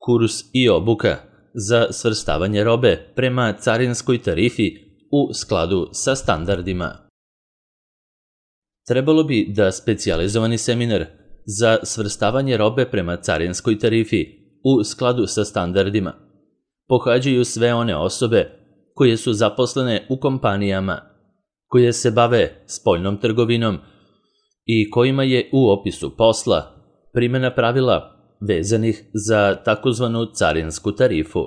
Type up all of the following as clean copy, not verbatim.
Kurs i obuka za svrstavanje robe prema carinskoj tarifi u skladu sa standardima. Trebalo bi da specijalizovani seminar za svrstavanje robe prema carinskoj tarifi u skladu sa standardima pohađaju sve one osobe koje su zaposlene u kompanijama koje se bave spoljnom trgovinom i kojima je u opisu posla primjena pravila vezanih za takozvanu carinsku tarifu.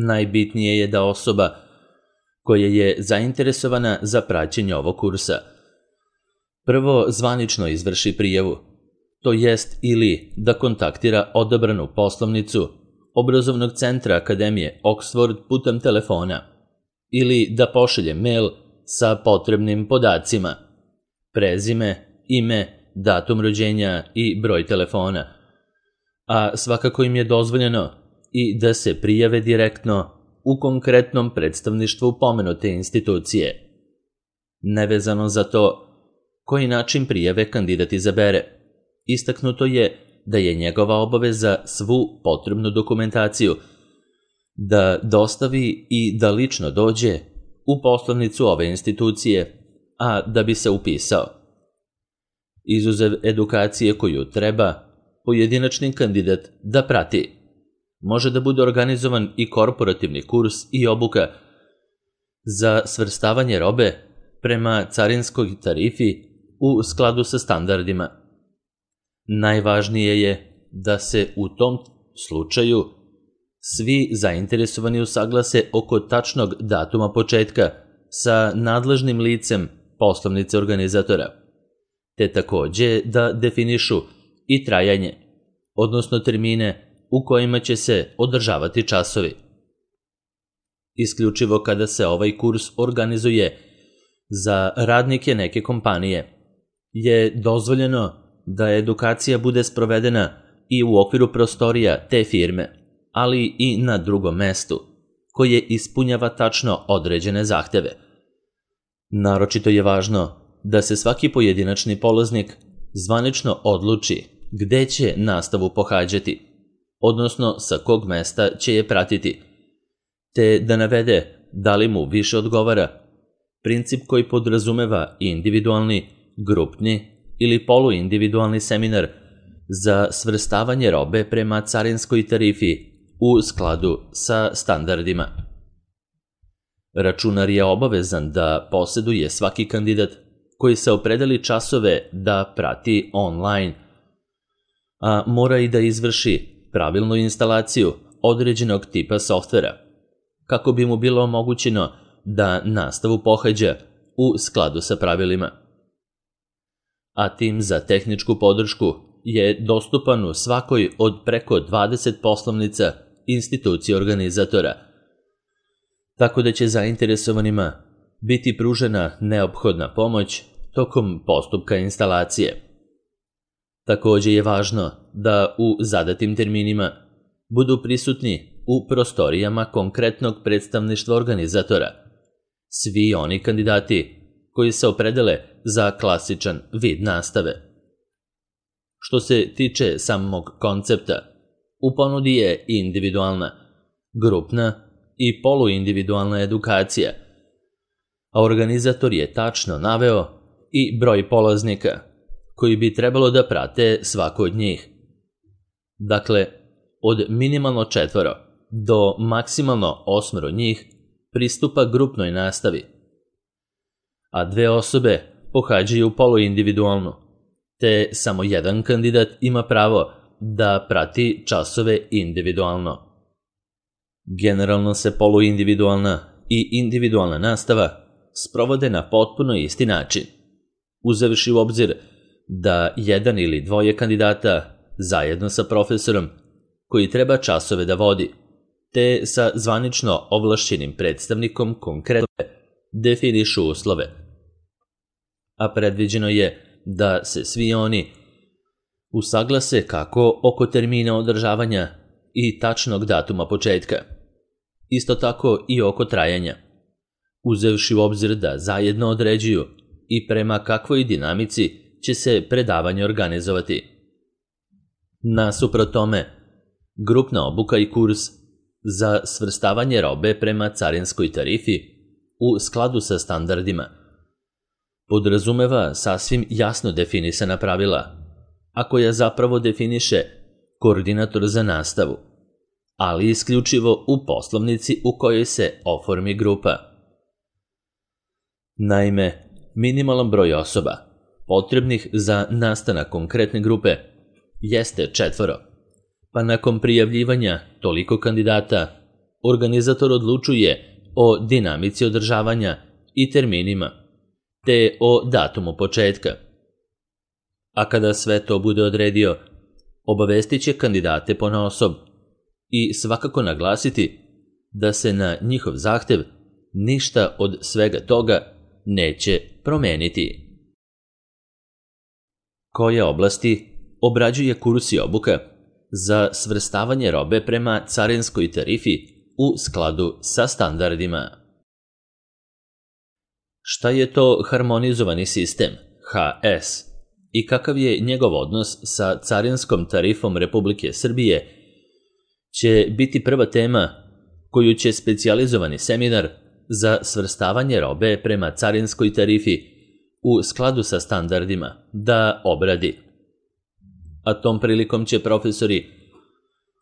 Najbitnije je da osoba koja je zainteresovana za praćenje ovog kursa prvo zvanično izvrši prijavu, to jest ili da kontaktira odabranu poslovnicu obrazovnog centra Akademije Oxford putem telefona ili da pošalje mail sa potrebnim podacima, prezime, ime, datum rođenja i broj telefona, a svakako im je dozvoljeno i da se prijave direktno u konkretnom predstavništvu pomenute institucije. Nevezano za to koji način prijave kandidat izabere, istaknuto je da je njegova obaveza svu potrebnu dokumentaciju da dostavi i da lično dođe u poslovnicu ove institucije, a da bi se upisao. Izuzev edukacije koju treba pojedinačni kandidat da prati, može da bude organizovan i korporativni kurs i obuka za svrstavanje robe prema carinskoj tarifi u skladu sa standardima. Najvažnije je da se u tom slučaju svi zainteresovani usaglase oko tačnog datuma početka sa nadležnim licem poslovnice organizatora, te takođe da definišu i trajanje, odnosno termine u kojima će se održavati časovi. Isključivo kada se ovaj kurs organizuje za radnike neke kompanije, je dozvoljeno da edukacija bude sprovedena i u okviru prostorija te firme, ali i na drugom mestu, koje ispunjava tačno određene zahteve. Naročito je važno da se svaki pojedinačni polaznik zvanično odluči gde će nastavu pohađati, odnosno sa kog mesta će je pratiti, te da navede da li mu više odgovara princip koji podrazumeva individualni, grupni ili poluindividualni seminar za svrstavanje robe prema carinskoj tarifi u skladu sa standardima. Računar je obavezan da poseduje svaki kandidat koji se opredeli časove da prati online, a mora i da izvrši pravilnu instalaciju određenog tipa softvera, kako bi mu bilo omogućeno da nastavu pohađa u skladu sa pravilima. A tim za tehničku podršku je dostupan u svakoj od preko 20 poslovnica institucije organizatora, tako da će zainteresovanima biti pružena neophodna pomoć tokom postupka instalacije. Takođe je važno da u zadatim terminima budu prisutni u prostorijama konkretnog predstavništva organizatora svi oni kandidati koji se opredele za klasičan vid nastave. Što se tiče samog koncepta, u ponudi je individualna, grupna i poluindividualna edukacija, a organizator je tačno naveo i broj polaznika koji bi trebalo da prate svako od njih. Dakle, od minimalno 4 do maksimalno 8 njih pristupa grupnoj nastavi, a 2 osobe pohađaju poluindividualnu, te samo jedan kandidat ima pravo da prati časove individualno. Generalno se poluindividualna i individualna nastava sprovode na potpuno isti način, uzevši u obzir da jedan ili dvoje kandidata zajedno sa profesorom koji treba časove da vodi, te sa zvanično ovlašćenim predstavnikom konkretno definišu uslove. A predviđeno je da se svi oni usaglase kako oko termina održavanja i tačnog datuma početka, isto tako i oko trajanja, uzevši u obzir da zajedno određuju i prema kakvoj dinamici će se predavanje organizovati. Nasuprot tome, grupna obuka i kurs za svrstavanje robe prema carinskoj tarifi u skladu sa standardima podrazumeva sasvim jasno definisana pravila, a koja zapravo definiše koordinator za nastavu, ali isključivo u poslovnici u kojoj se oformi grupa. Naime, minimalan broj osoba potrebnih za nastanak konkretne grupe jeste 4, pa nakon prijavljivanja toliko kandidata, organizator odlučuje o dinamici održavanja i terminima, te o datumu početka. A kada sve to bude odredio, obavestit će kandidate ponaosob i svakako naglasiti da se na njihov zahtev ništa od svega toga neće promeniti. Koje oblasti obrađuje kurs i obuka za svrstavanje robe prema carinskoj tarifi u skladu sa standardima? Šta je to harmonizovani sistem, HS, i kakav je njegov odnos sa carinskom tarifom Republike Srbije, će biti prva tema koju će specijalizovani seminar za svrstavanje robe prema carinskoj tarifi u skladu sa standardima da obradi. A tom prilikom će profesori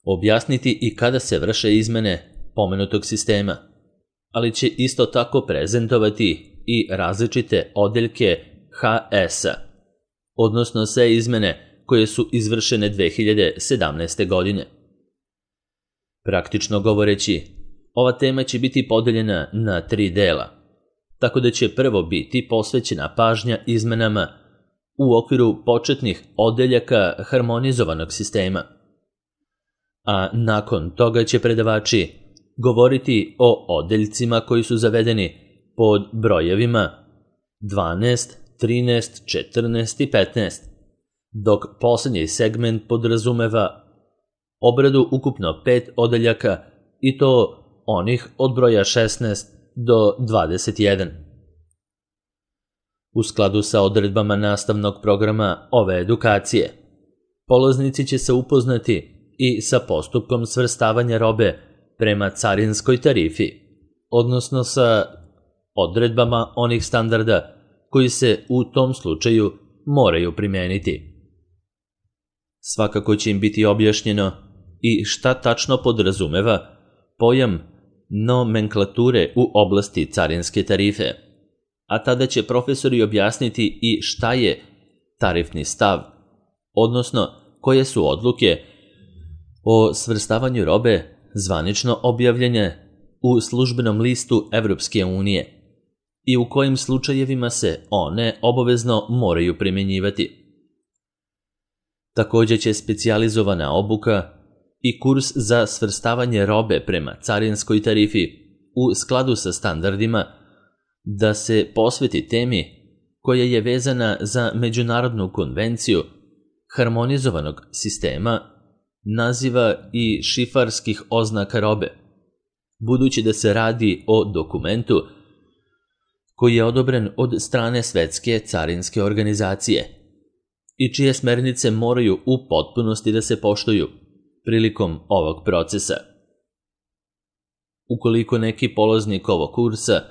objasniti i kada se vrše izmene pomenutog sistema, ali će isto tako prezentovati i različite odeljke HS-a, odnosno sve izmene koje su izvršene 2017. godine. Praktično govoreći, ova tema će biti podeljena na 3 dela, tako da će prvo biti posvećena pažnja izmenama u okviru početnih odeljaka harmonizovanog sistema, a nakon toga će predavači govoriti o odeljcima koji su zavedeni pod brojevima 12, 13, 14 i 15, dok posljednji segment podrazumeva obradu ukupno 5 odeljaka i to onih od broja 16 do 21. U skladu sa odredbama nastavnog programa ove edukacije, polaznici će se upoznati i sa postupkom svrstavanja robe prema carinskoj tarifi, odnosno sa odredbama onih standarda koji se u tom slučaju moraju primeniti. Svakako će im biti objašnjeno i šta tačno podrazumeva pojam nomenklature u oblasti carinske tarife, a tada će profesori objasniti i šta je tarifni stav, odnosno koje su odluke o svrstavanju robe zvanično objavljene u službenom listu Evropske unije i u kojim slučajevima se one obavezno moraju primjenjivati. Također će specijalizovana obuka i kurs za svrstavanje robe prema carinskoj tarifi u skladu sa standardima da se posveti temi koja je vezana za Međunarodnu konvenciju harmonizovanog sistema naziva i šifarskih oznaka robe, budući da se radi o dokumentu koji je odobren od strane Svetske carinske organizacije i čije smernice moraju u potpunosti da se poštuju prilikom ovog procesa. Ukoliko neki polaznik ovog kursa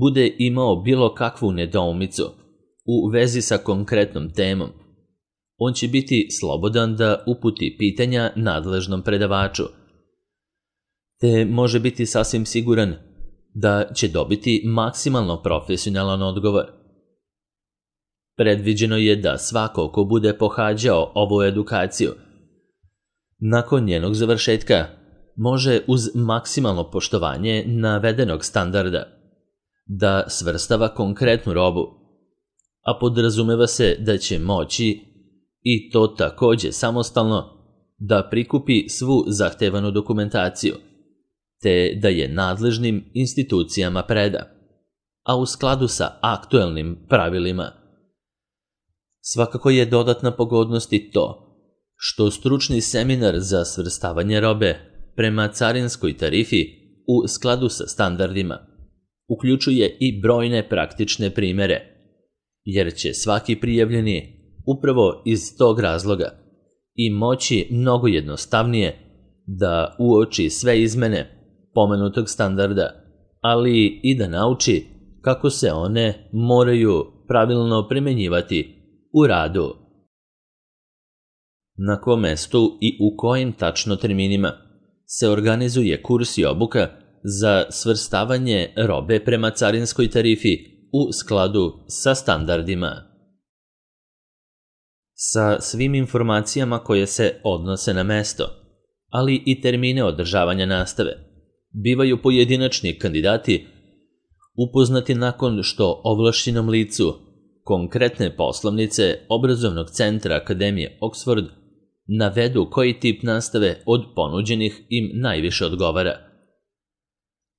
bude imao bilo kakvu nedoumicu u vezi sa konkretnom temom, on će biti slobodan da uputi pitanja nadležnom predavaču, te može biti sasvim siguran da će dobiti maksimalno profesionalan odgovor. Predviđeno je da svako ko bude pohađao ovu edukaciju, nakon njenog završetka, može uz maksimalno poštovanje navedenog standarda da svrstava konkretnu robu, a podrazumeva se da će moći, i to također samostalno, da prikupi svu zahtevanu dokumentaciju, te da je nadležnim institucijama preda, a u skladu sa aktuelnim pravilima. Svakako je dodatna pogodnost i to što stručni seminar za svrstavanje robe prema carinskoj tarifi u skladu sa standardima uključuje i brojne praktične primere, jer će svaki prijavljeni upravo iz tog razloga i moći mnogo jednostavnije da uoči sve izmene pomenutog standarda, ali i da nauči kako se one moraju pravilno primenjivati u radu. Na kom mestu i u kojim tačno terminima se organizuje kurs i obuka za svrstavanje robe prema carinskoj tarifi u skladu sa standardima. Sa svim informacijama koje se odnose na mesto, ali i termine održavanja nastave, bivaju pojedinačni kandidati upoznati nakon što ovlašćenom licu konkretne poslovnice Obrazovnog centra Akademije Oxford navedu koji tip nastave od ponuđenih im najviše odgovara.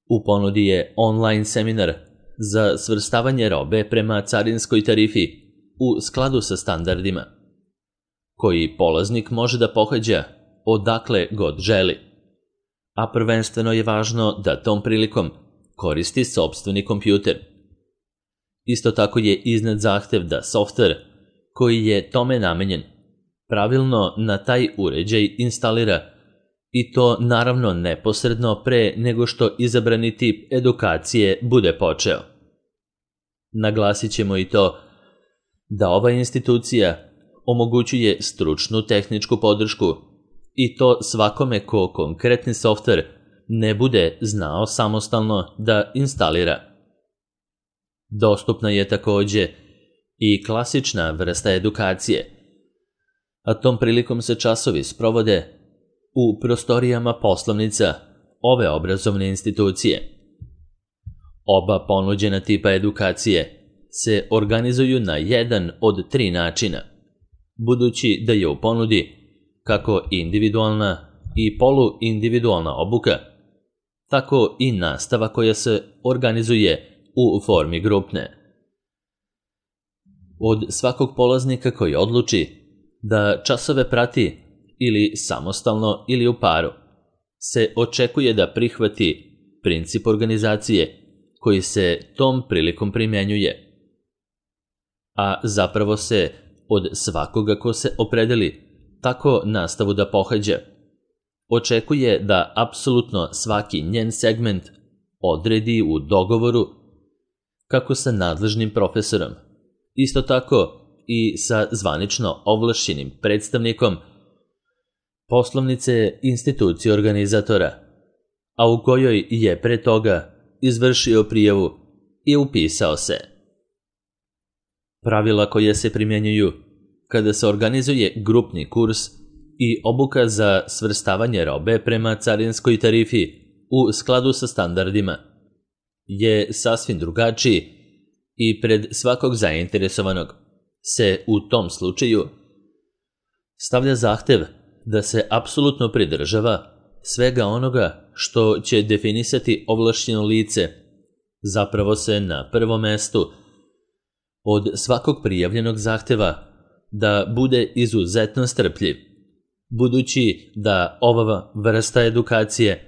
U ponudi je online seminar za svrstavanje robe prema carinskoj tarifi u skladu sa standardima, koji polaznik može da pohađa odakle god želi, a prvenstveno je važno da tom prilikom koristi sopstveni kompjuter. Isto tako je iznet zahtev da softver koji je tome namenjen pravilno na taj uređaj instalira, i to naravno neposredno pre nego što izabrani tip edukacije bude počeo. Naglasit ćemo i to da ova institucija omogućuje stručnu tehničku podršku i to svakome ko konkretni softver ne bude znao samostalno da instalira. Dostupna je takođe i klasična vrsta edukacije, a tom prilikom se časovi sprovode u prostorijama poslovnica ove obrazovne institucije. Oba ponuđena tipa edukacije se organizuju na jedan od 3 načina, budući da je u ponudi kako individualna i poluindividualna obuka, tako i nastava koja se organizuje u formi grupne. Od svakog polaznika koji odluči da časove prati ili samostalno ili u paru, se očekuje da prihvati princip organizacije koji se tom prilikom primjenjuje. A zapravo se od svakoga ko se opredeli tako nastavu da pohađa, očekuje da apsolutno svaki njen segment odredi u dogovoru kako sa nadležnim profesorom, isto tako i sa zvanično ovlašćenim predstavnikom poslovnice institucije organizatora, a u kojoj je pre toga izvršio prijavu i upisao se. Pravila koja se primjenjuju kada se organizuje grupni kurs i obuka za svrstavanje robe prema carinskoj tarifi u skladu sa standardima je sasvim drugačiji i pred svakog zainteresovanog se u tom slučaju stavlja zahtev da se apsolutno pridržava svega onoga što će definisati ovlašćeno lice, zapravo se na prvom mestu od svakog prijavljenog zahteva da bude izuzetno strpljiv, budući da ova vrsta edukacije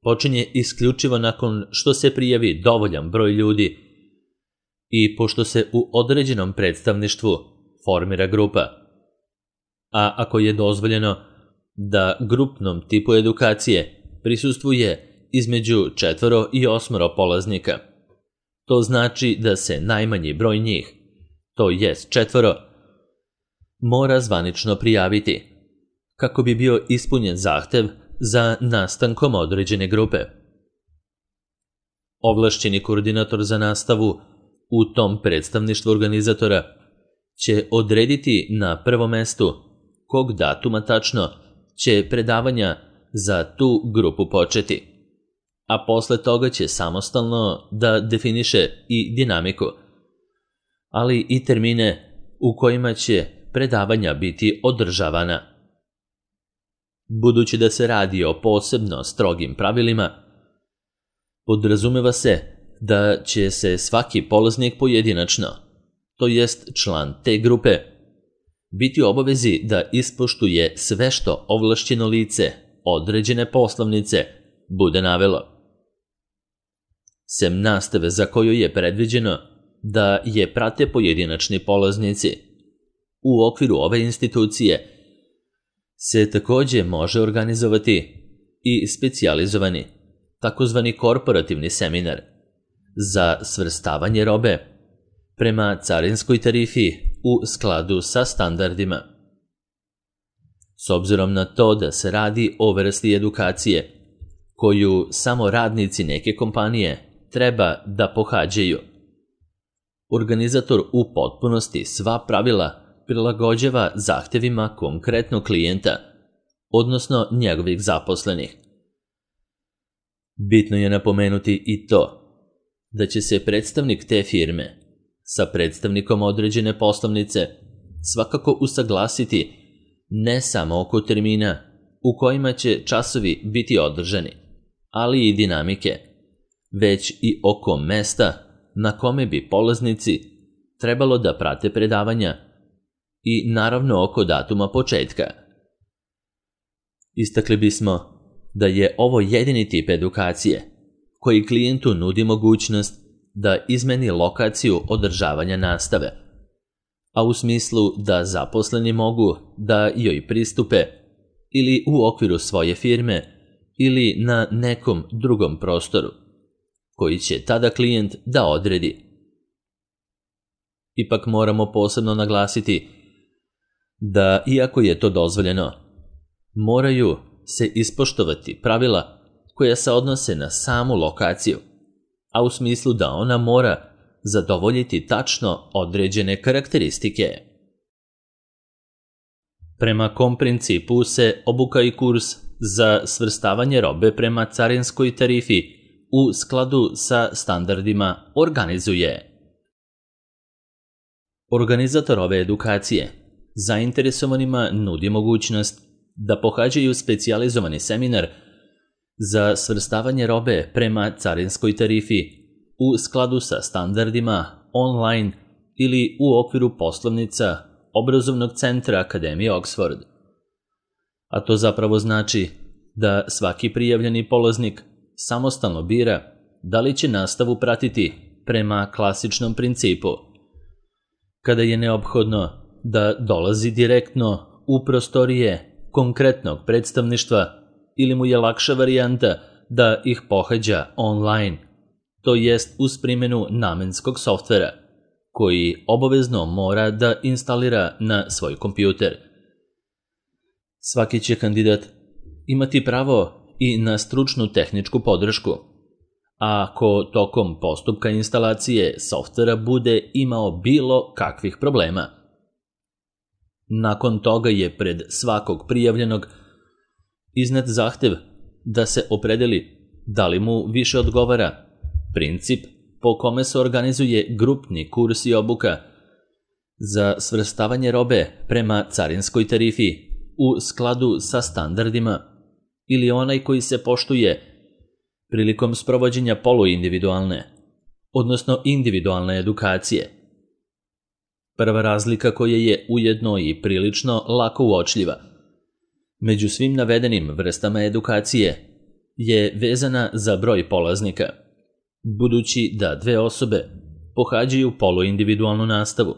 počinje isključivo nakon što se prijavi dovoljan broj ljudi i pošto se u određenom predstavništvu formira grupa. A ako je dozvoljeno da grupnom tipu edukacije prisustvuje između 4 i 8 polaznika, to znači da se najmanji broj njih, to jest 4, mora zvanično prijaviti, kako bi bio ispunjen zahtev za nastankom određene grupe. Ovlašćeni koordinator za nastavu u tom predstavništvu organizatora će odrediti na prvom mestu kog datuma tačno će predavanja za tu grupu početi, a posle toga će samostalno da definiše i dinamiku, ali i termine u kojima će predavanja biti održavana. Budući da se radi o posebno strogim pravilima, podrazumeva se da će se svaki polaznik pojedinačno, to jest član te grupe, biti u obavezi da ispoštuje sve što ovlašćeno lice određene poslovnice bude navelo. Sem nastave za koju je predviđeno da je prate pojedinačni polaznici, u okviru ove institucije se takođe može organizovati i specijalizovani, takozvani korporativni seminar za svrstavanje robe prema carinskoj tarifi u skladu sa standardima. S obzirom na to da se radi o vrsti edukacije koju samo radnici neke kompanije treba da pohađaju, organizator u potpunosti sva pravila prilagođava zahtevima konkretnog klijenta, odnosno njegovih zaposlenih. Bitno je napomenuti i to da će se predstavnik te firme sa predstavnikom određene poslovnice svakako usaglasiti ne samo oko termina u kojima će časovi biti održani, ali i dinamike, već i oko mesta na kome bi polaznici trebalo da prate predavanja i naravno oko datuma početka. Istakli bismo da je ovo jedini tip edukacije koji klijentu nudi mogućnost da izmeni lokaciju održavanja nastave, a u smislu da zaposleni mogu da joj pristupe ili u okviru svoje firme ili na nekom drugom prostoru, koji će tada klijent da odredi. Ipak moramo posebno naglasiti da, iako je to dozvoljeno, moraju se ispoštovati pravila koja se odnose na samu lokaciju, a u smislu da ona mora zadovoljiti tačno određene karakteristike. Prema kom principu se obuka i kurs za svrstavanje robe prema carinskoj tarifi u skladu sa standardima organizuje? Organizator ove edukacije zainteresovanima nudi mogućnost da pohađaju specijalizovani seminar za svrstavanje robe prema carinskoj tarifi u skladu sa standardima online ili u okviru poslovnica obrazovnog centra Akademije Oxford. A to zapravo znači da svaki prijavljeni polaznik samostalno bira da li će nastavu pratiti prema klasičnom principu, kada je neophodno da dolazi direktno u prostorije konkretnog predstavništva ili mu je lakša varijanta da ih pohađa online, to jest uz primjenu namenskog softvera, koji obavezno mora da instalira na svoj kompjuter. Svaki će kandidat imati pravo i na stručnu tehničku podršku, a ako tokom postupka instalacije softvera bude imao bilo kakvih problema. Nakon toga je pred svakog prijavljenog iznet zahtev da se opredeli da li mu više odgovara princip po kome se organizuje grupni kurs i obuka za svrstavanje robe prema carinskoj tarifi u skladu sa standardima ili onaj koji se poštuje prilikom sprovođenja poluindividualne, odnosno individualne edukacije. Prva razlika koja je ujedno i prilično lako uočljiva među svim navedenim vrstama edukacije je vezana za broj polaznika, budući da dve osobe pohađaju poluindividualnu nastavu,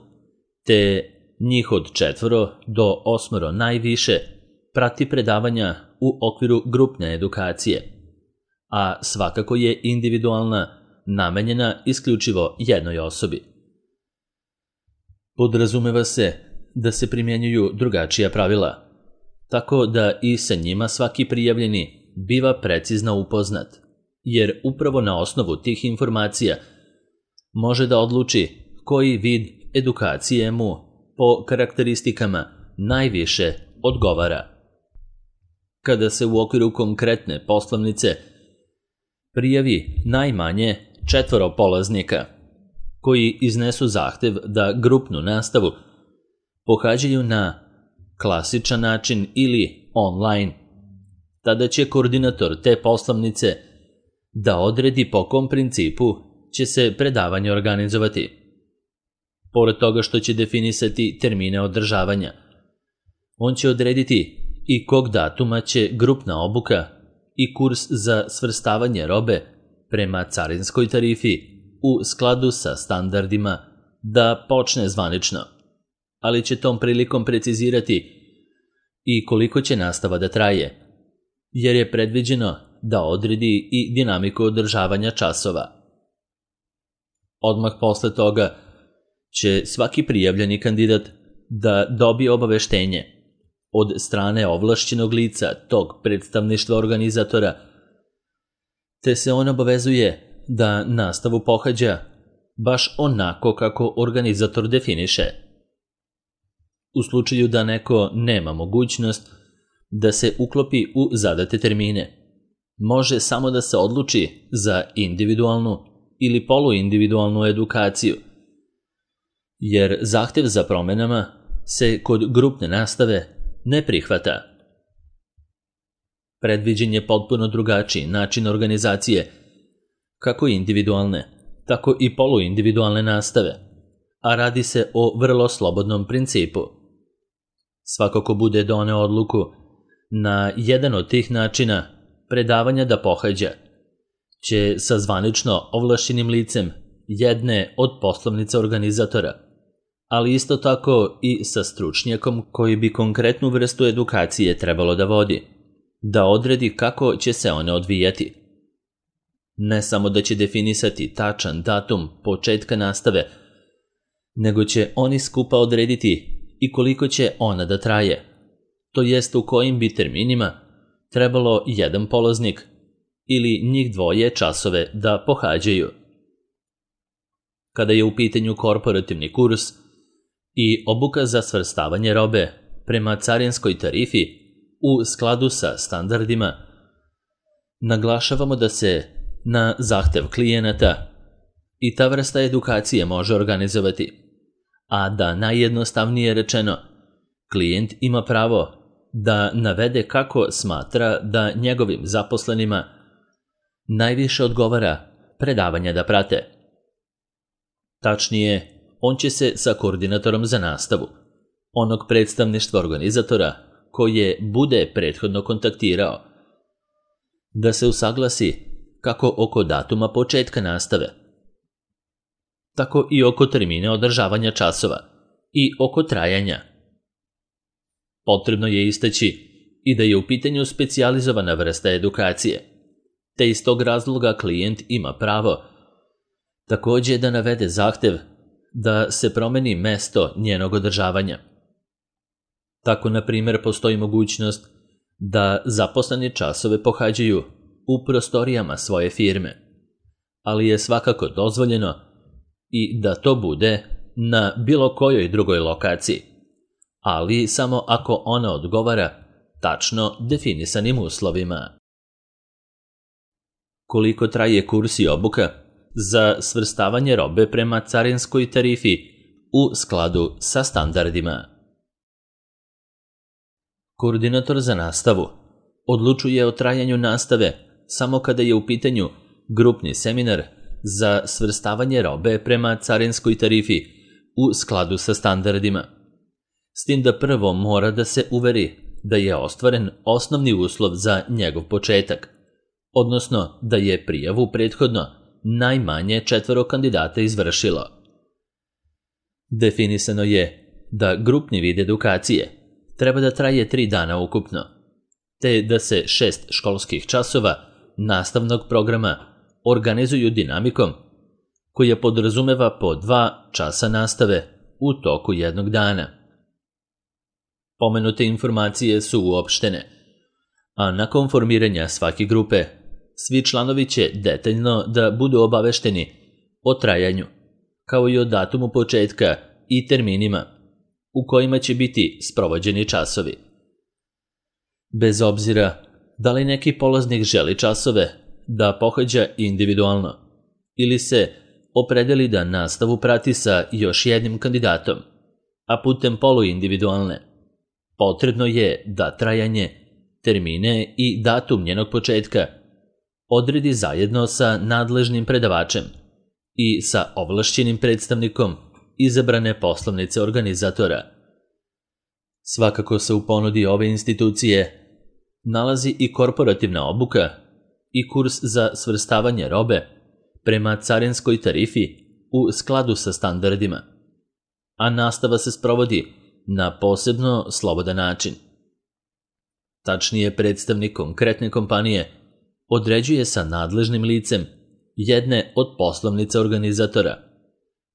te njih od 4 do 8 najviše prati predavanja u okviru grupne edukacije, a svakako je individualna namenjena isključivo jednoj osobi. Podrazumeva se da se primjenjuju drugačija pravila, tako da i sa njima svaki prijavljeni biva precizno upoznat, jer upravo na osnovu tih informacija može da odluči koji vid edukacije mu po karakteristikama najviše odgovara. Kada se u okviru konkretne poslovnice prijavi najmanje 4 polaznika koji iznesu zahtev da grupnu nastavu pohađaju na klasičan način ili online, tada će koordinator te poslovnice da odredi po kom principu će se predavanje organizovati. Pored toga što će definisati termine održavanja, on će odrediti i kog datuma će grupna obuka i kurs za svrstavanje robe prema carinskoj tarifi u skladu sa standardima da počne zvanično, ali će tom prilikom precizirati i koliko će nastava da traje, jer je predviđeno da odredi i dinamiku održavanja časova. Odmah posle toga će svaki prijavljeni kandidat da dobije obaveštenje od strane ovlašćenog lica tog predstavništva organizatora, te se on obavezuje da nastavu pohađa baš onako kako organizator definiše. U slučaju da neko nema mogućnost da se uklopi u zadate termine, može samo da se odluči za individualnu ili poluindividualnu edukaciju, jer zahtev za promenama se kod grupne nastave ne prihvata. Predviđen je potpuno drugačiji način organizacije kako individualne, tako i poluindividualne nastave, a radi se o vrlo slobodnom principu. Svako ko bude doneo odluku na jedan od tih načina predavanja da pohađa, će sa zvanično ovlašćenim licem jedne od poslovnica organizatora, ali isto tako i sa stručnjakom koji bi konkretnu vrstu edukacije trebalo da vodi, da odredi kako će se one odvijati. Ne samo da će definisati tačan datum početka nastave, nego će oni skupa odrediti i koliko će ona da traje, to jest u kojim bi terminima trebalo jedan polaznik ili njih dvoje časove da pohađaju. Kada je u pitanju korporativni kurs i obuka za svrstavanje robe prema carinskoj tarifi u skladu sa standardima, naglašavamo da se na zahtev klijenata i ta vrsta edukacije može organizovati, a da najjednostavnije rečeno, klijent ima pravo da navede kako smatra da njegovim zaposlenima najviše odgovara predavanja da prate. Tačnije, on će se sa koordinatorom za nastavu, onog predstavništva organizatora koje bude prethodno kontaktirao, da se usaglasi kako oko datuma početka nastave, tako i oko termina održavanja časova i oko trajanja. Potrebno je istaći i da je u pitanju specijalizovana vrsta edukacije, te iz tog razloga klijent ima pravo takođe da navede zahtev da se promeni mesto njenog održavanja. Tako, na primjer, postoji mogućnost da zaposleni časove pohađaju u prostorijama svoje firme, ali je svakako dozvoljeno i da to bude na bilo kojoj drugoj lokaciji, ali samo ako ona odgovara tačno definisanim uslovima. Koliko traje kurs i obuka za svrstavanje robe prema carinskoj tarifi u skladu sa standardima? Koordinator za nastavu odlučuje o trajanju nastave samo kada je u pitanju grupni seminar za svrstavanje robe prema carinskoj tarifi u skladu sa standardima, s tim da prvo mora da se uveri da je ostvaren osnovni uslov za njegov početak, odnosno da je prijavu prethodno najmanje 4 kandidata izvršilo. Definisano je da grupni vid edukacije treba da traje 3 dana ukupno, te da se 6 školskih časova nastavnog programa organizuju dinamikom koja podrazumeva po 2 časa nastave u toku jednog dana. Pomenute informacije su uopštene, a nakon formiranja svake grupe, svi članovi će detaljno da budu obavešteni o trajanju, kao i o datumu početka i terminima u kojima će biti sprovođeni časovi. Bez obzira da li neki polaznik želi časove da pohađa individualno ili se opredeli da nastavu prati sa još jednim kandidatom, a putem poluindividualne, potrebno je da trajanje, termine i datum njenog početka odredi zajedno sa nadležnim predavačem i sa ovlašćenim predstavnikom izabrane poslovnice organizatora. Svakako se u ponudi ove institucije nalazi i korporativna obuka i kurs za svrstavanje robe prema carinskoj tarifi u skladu sa standardima, a nastava se sprovodi na posebno slobodan način. tačnije predstavnik konkretne kompanije, određuje sa nadležnim licem jedne od poslovnica organizatora,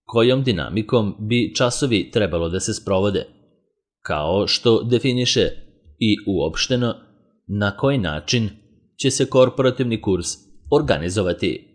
kojom dinamikom bi časovi trebalo da se sprovode, kao što definiše i uopšteno na koji način će se korporativni kurs organizovati.